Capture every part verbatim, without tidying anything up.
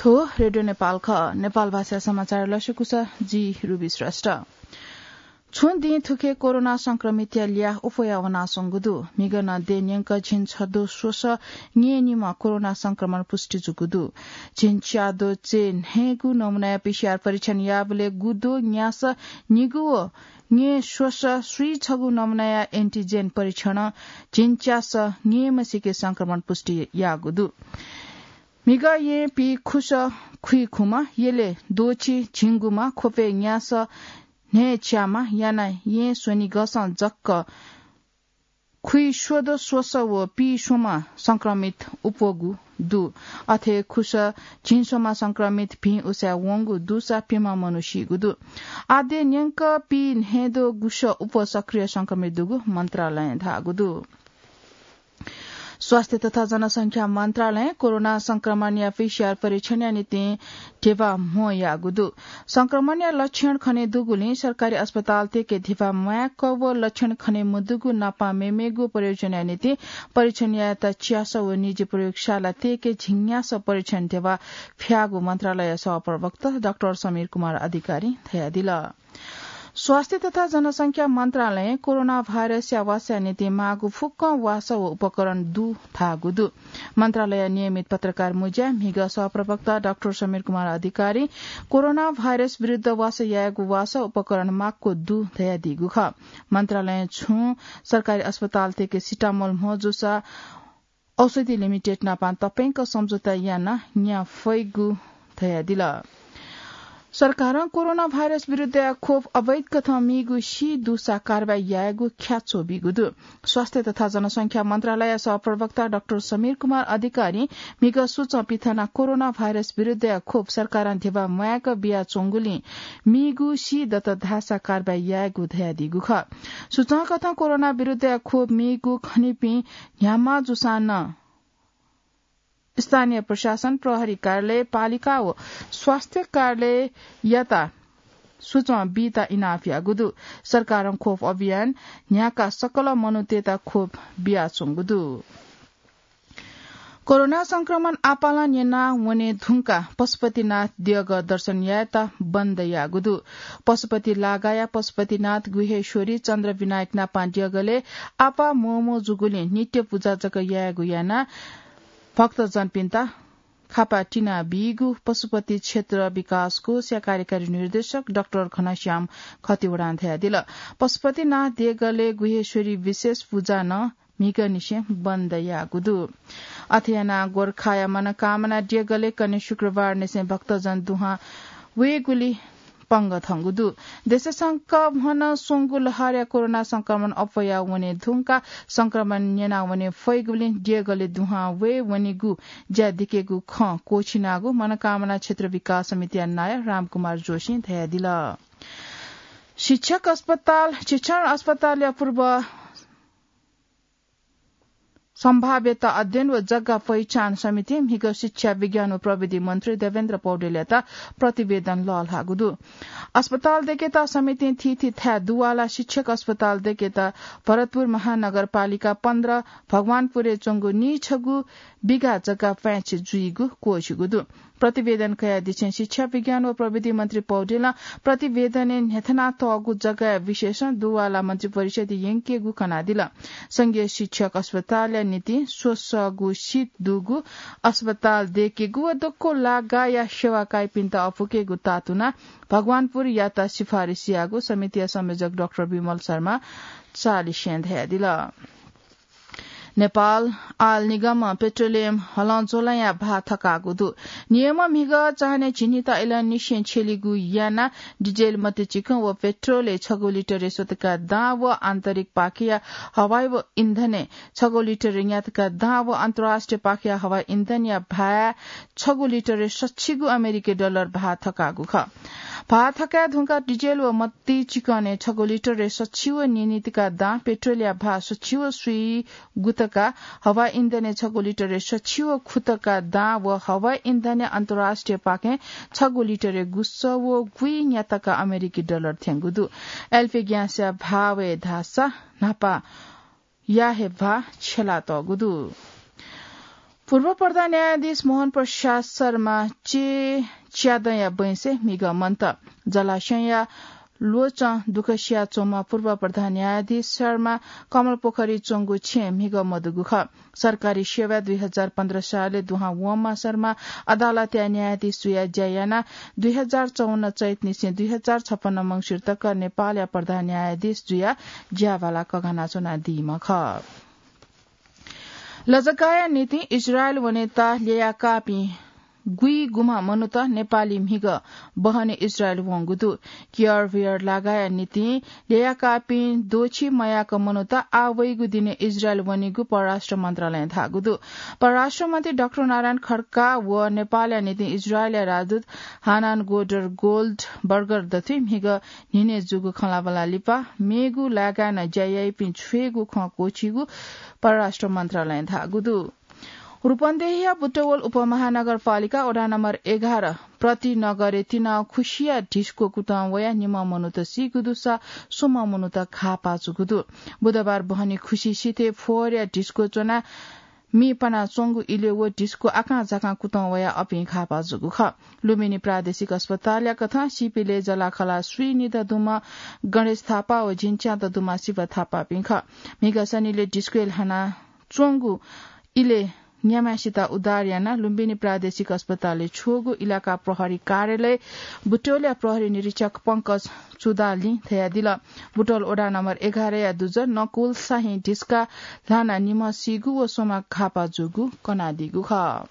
थ्व रेडियो नेपाल खः। नेपाल भाषा समाचार लसकुस, जि रुबी श्रेष्ठ। छुं दिं थुखे कोरोना संक्रमितया ल्याः उफया वनाच्वंगु दु। म्हिगः नं देय् न्यंक झिंछद्वः स्वसः न्येनिम्ह कोरोना संक्रमण पुष्टि जूगु दु। झिंच्याद्वः च्यय् न्हय्गू नमुनाया पीसीआर परीक्षण याःबलय् गुद्वः न्यासः निगू व न्यय् स्वसः स्वीछगू नमुनाया एन्टिजेन परीक्षणं झिंच्यासः न्यय्म्हसिके संक्रमण पुष्टि याःगु दु। म्हिगः येँ पीखुसः खुइखुम्ह, यलय् द्वःछि झिंगुम्ह, ख्वपय् न्यासः न्हय्च्याम्ह, यानाः येँ स्वनिगःसं जक खुइस्वद्वः स्वसः व पीस्वम्ह संक्रमित उप्वःगु दु। अथे खुसः झिंस्वम्ह संक्रमित भिं उसाँय् वंगु दुसा प्यम्ह मनू सीगु दु। आः देय् न्यंक पीन्हय्द्वः गुसः उप्वः सक्रिय संक्रमित दुगु मन्त्रालयं धाःगु दु। स्वास्थ्य तथा जनसंख्या मन्त्रालयं कोरोना संक्रमणया पीसीआर परीक्षणया निंतिं धिबा म्हो याःगु दु। संक्रमणया लक्षण खने दुगुलिं सरकारी अस्पतालतय्के धिबा म्वाय्क व लक्षण खने मदुगु नापं मेमेगु प्रयोजनया निंतिं परीक्षण यायेत च्यासः व निजी प्रयोगशालातय्के झिंन्यासः परीक्षण धिबा फ्याःगु मन्त्रालयया सहप्रवक्ता डाक्टर समीर कुमार अधिकारीं धयादिल। स्वास्थ्य तथा जनसंख्या मन्त्रालयं कोरोना भाइरसया वासःया निंतिं माःगु फुक्कं वासः व उपकरण दु धाःगु दु। मन्त्रालयया नियमित पत्रकार मुँज्याय् म्हिगः सहप्रवक्ता डाक्टर समीर कुमार अधिकारीं कोरोना भाइरस विरुद्ध वासः यायेगु वासः उपकरण माक्व दु धयादीगु खः। मन्त्रालयं छुं सरकारी अस्पतालतय्के सिटामोल म्हो जूसा औषधि लिमिटेड नापं तप्यंक सम्झौता यानाः न्याः फइगु धयादिल। सरकारं कोरोना भाइरस विरुद्धया खोप अवैध कथं मीगु सी दुसा कारवाही यायेगु ख्याच्वः बीगु दु। स्वास्थ्य तथा जनसंख्या मन्त्रालय सहप्रवक्ता डाक्टर समीर कुमार अधिकारीं म्हिगः सूचं पिथनाः कोरोना भाइरस विरुद्धया खोप सरकारं धिबा म्वाय्क बियाच्वंगुलिं मीगु सी दत धाःसा कारवाही यायेगु धयादीगु खः। सूचंकथं कोरोना विरुद्धया खोप मीगु खनीपिं न्ह्याम्ह जूसां नं स्थानीय प्रशासन, प्रहरी कार्यालय, पालिका व स्वास्थ्य कार्यालययात सूचं बीत इनाप याःगु दु। सरकारं खोप अभियान न्ह्याकाः सकल मनूतय्त खोप बियाच्वंगु दु। कोरोना संक्रमण आपालं न्यना वने धुंकाः पशुपतिनाथ देगः दर्शन यायेत बन्द याःगु दु। पशुपति लागाया पशुपतिनाथ, गुह्येश्वरी, चन्द्रविनायक नापं देगलय् आपाः म्वःम्वः जूगुलिं नित्य पुजा जक यायेगु यानाः भक्तजनपिन्त खापा तिनाबीगु पशुपति क्षेत्र विकास कोषया कार्यकारी निर्देशक डाक्टर घनश्याम खतिवडां धयादिल। पशुपतिनाथ देगलय् गुह्येश्वरी विशेष पुजा नं म्हिगःनिसें बन्द याःगु दु। अथे यानाः गोरखाया मनकामना देगलय् कन्हय् शुक्रबारनिसें भक्तजन दुहां वयेगुली पंगः थंगु दु। देशय् संक्रमण स्वंगु लहरया कोरोना संक्रमण अप्वया वने धुंकाः संक्रमण न्यना वने फइगुलिं देगलय् दुहां वये वनेगु ज्या दिकेगु खँ क्वःछिनागु मनकामना क्षेत्र विकास समितिया नायः रामकुमार जोशीं धयादिल। शिक्षक अस्पताल, शिक्षण अस्पतालया पूर्व सम्भाव्यता अध्ययन व जग्गा पहिचान समितिं म्हिगः शिक्षा, विज्ञान व प्रविधि मन्त्री देवेन्द्र पौडेलयात प्रतिवेदन लःल्हाःगु दु। अस्पताल दय्केत समितिं थीथी थाय् दुवाला शिक्षक अस्पताल दय्केत भरतपुर महानगरपालिका पन्ध्र भगवानपुरय् च्वंगु नीछगू बिघा जग्गा प्वाँय् जुइगु क्वःछिगु दु। प्रतिवेदन कयादिसें शिक्षा, विज्ञान व प्रविधि मन्त्री पौडेलं प्रतिवेदनय् न्ह्यथनातःगु जग्गाया विषयसं दुवाला मन्त्रिपरिषदय् यंकेगु कनादिल। संघीय शिक्षक अस्पतालया निंतिं स्वसःगु सिट दुगु अस्पताल दय्केगु व दक्व लागाया सेवा काइपिन्त अपुकेगु तातुनाः भगवानपुरयात सिफारिस याःगु समितिया संयोजक डाक्टर विमल शर्मा चालिसें धयादिल। नेपाल आयल निगमं पेट्रोलियम हलंज्वलंया भाः थकाःगु दु। निगमं म्हिगः चान्हय् झिंनिदँ इलंनिसें छ्यलिगु यानाः डिजेल मतिचिकं व पेट्रोलय् छगू लिटरय् स्वतका दां व आन्तरिक पाखेया हवाई व इन्धनय् छगू लिटरय् न्यातका दां व अन्तर्राष्ट्रिय पाखेया हवाई इन्धनया भाः छगू लिटरय् सच्छि गु अमेरिकी डलर भाः थकाःगु खः। भाः थकाये धुंकाः डिजेल व मतिचिकनय् छगू लिटरय् सच्छि व नीनितका दां, पेट्रोलया भाः सच्छि व स्वीगू तका, हवाई इन्धनय् छगू लिटरय् सच्छि व खुतका दां व हवाई इन्धनय् अन्तर्राष्ट्रिय पाखें छगू लिटरय् गुसः व गुइन्या तका अमेरिकी डलर थ्यंगु दु। एलपी ग्यासया भाः वये धाःसा न्हापाया हे भाः छ्यलातःगु दु। पूर्व प्रधान न्यायाधीश मोहन प्रसाद शर्मा चे च्यादँया बैंसे म्हिगः मन्त। जलाशयया ल्वचं दुःख सियाच्वंम्ह पूर्व प्रधान न्यायाधीश शर्मा कमलपोखरी च्वंगु छेँय् म्हिगः मदुगु खः। सरकारी सेवाय् दुई हजार पन्ध्र सालय् दुहां वंम्ह शर्मा अदालतया न्यायाधीश जुयाः ज्या यानाः दुई हजार चौवन्न चैतनिसें दुई हजार छपन्न मंसिर तक नेपालया प्रधान न्यायाधीश जुयाः ज्याभाला कघानाच्वनादीम्ह खः। लजगाःया निंतिं इजरायल वनेत ल्ययाकाःपिं गुइगुम्ह मनूत नेपाली म्हिगः बहनी इजरायल वंगु दु। कियर वियर लागाःया निंतिं ल्ययाकाःपिं द्वःछि मयाक मनूत आः वइगु दिने इजरायल वनीगु परराष्ट्र मन्त्रालयं धाःगु दु। परराष्ट्र मन्त्री डाक्टर नारायण खड्का व नेपालया निंतिं इजरायलया राजदूत हानान गोल्डबर्गर दथुइ म्हिगः न्हिनय् जूगु खँल्हाबल्हा लिपा मेगु लागाय् नं ज्या याइपिं छ्वयेगु खँ क्वःछीगु परराष्ट्र मन्त्रालयं धाःगु दु। रूपन्देहीया बुटवल उपमहानगरपालिका वडा नम्बर एघार प्रतिनगरय् तिनाः खुसिया ढिस्को कुतः वयाः निम्ह मनूत सीगु दुसा स्वम्ह मनूत घाः पाः जूगु दु। बुधबार बहनी खुसि सिथय् फोहोरया ढिस्को च्वनाः मि पनाच्वंगु इलय् व ढिस्को आकां झाकां कुतः वयाः अपिं घाः पाः जूगु खः। लुम्बिनी प्रादेशिक अस्पतालया कथं सीपिं लय् जलाखला स्वीनिदँ दुम्ह गणेश थापा व झिंच्यादँ दुम्ह शिव थापापिं खः। म्हिगः सनिलय् ढिस्कोय् ल्हाना च्वंगु इलय् न्याम्हय्सित उद्धार यानाः लुम्बिनी प्रादेशिक अस्पतालय् छ्वःगु इलाका प्रहरी कार्यालय बुटवलया प्रहरी निरीक्षक पंकज चुदालिं धयादिल। बुटवल वडा नम्बर एघारया दुजः नकुल शाही ढिस्का ल्हानाः निम्ह सीगु व स्वम्ह घाः पाः जूगु कनादीगु खः।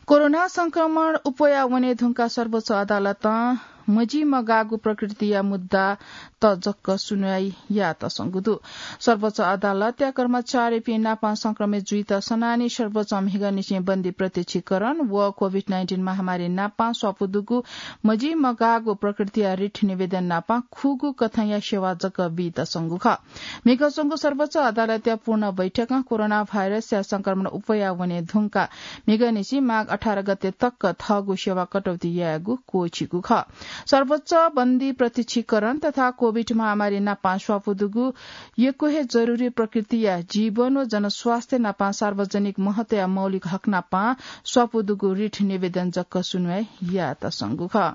कोरोना संक्रमण अप्वया वने धुंकाः सर्वोच्च अदालतं मजिमगाःगु प्रकृतिया मुद्दात जक सुनवाई यायेत संगु दु। सर्वोच्च अदालतया कर्मचारीपिं नाप संक्रमित जुइत सनानि सर्वोच्चं म्हिगःनिसें बन्दी प्रत्यक्षीकरण व कोभिड नाइन्टिन महामारी नाप स्वापू दुगु मजिमगाःगु प्रकृतिया रिट निवेदन नाप खुगू कथंया सेवा जक बीत संगु खः। म्हिगः च्वंगु सर्वोच्च अदालतया पूर्ण बैठकं कोरोना भाइरसया संक्रमण अप्वया वने धुंकाः म्हिगःनिसें माघ अठार गते तक थःगु सेवा कटौती यायेगु क्वःछीगु खः। सर्वोच्चं बन्दी प्रत्यक्षीकरण तथा कोभिड महामारी नाप स्वापू दुगु यक्व हे जरुरी प्रकृतिया जीवन व जनस्वास्थ्य नाप सार्वजनिक महत्वया मौलिक हक नाप स्वापू दुगु रिट निवेदन जक सुनवाई यायेत संगु खः।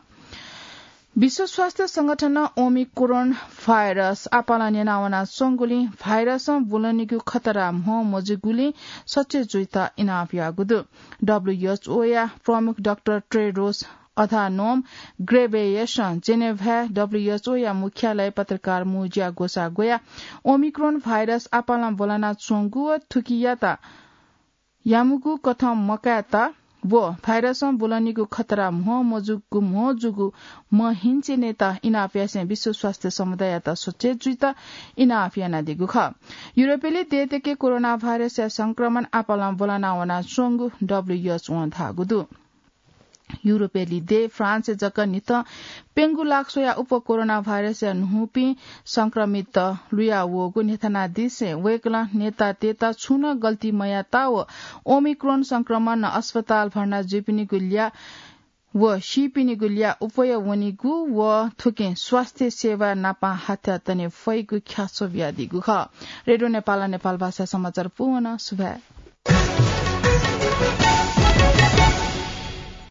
विश्व स्वास्थ्य संगठनं ओमिक्रोन भाइरस आपालं न्यनावना च्वंगुलिं भाइरसं ब्वलनीगु खतरा म्हो मजूगुलिं सचेत जुइत इनाप याःगु दु। डब्ल्यूएचओया प्रमुख डाक्टर टेड्रोस अधानोम ग्रेबेयसं जेनेभाय् डब्ल्यूएचओया मुख्यालय पत्रकार मुँज्या ग्वसाः ग्वयाः ओमिक्रोन भाइरस आपालं ब्वलना च्वंगु व थुकियात यामुगु कथं मकायेत व भाइरसं ब्वलनीगु खतरा म्हो मजूगु, म्हो जूगु महिंचेनेत इनाप यासें विश्व स्वास्थ्य समुदाययात सचेत जुइत इनाप यानादीगु खः। युरोपेली देय्‌तय्‌के कोरोना भाइरसया संक्रमण आपालं ब्वलना वना च्वंगु डब्ल्यूएचओं धाःगु दु। युरोपेली देय् फ्रान्सय् जक न्हिथं प्यंगू लाख स्वयाः उप कोरोना भाइरसया न्हूपिं संक्रमित लुया वःगु न्ह्यथनादिसें वय्‌कलं नेतातय्‌त छुं नं गल्ती मयात व ओमिक्रोन संक्रमणं अस्पताल भर्ना जुइपिनिगु ल्याः व सीपिनिगु ल्याः अप्वया वनीगु व थुकिं स्वास्थ्य सेवा नाप हाथ्यातने फइगु ख्याच्वः बियादीगु खः। रेडियो नेपालं नेपाल भाषा समाचार पूवं सुभाय्।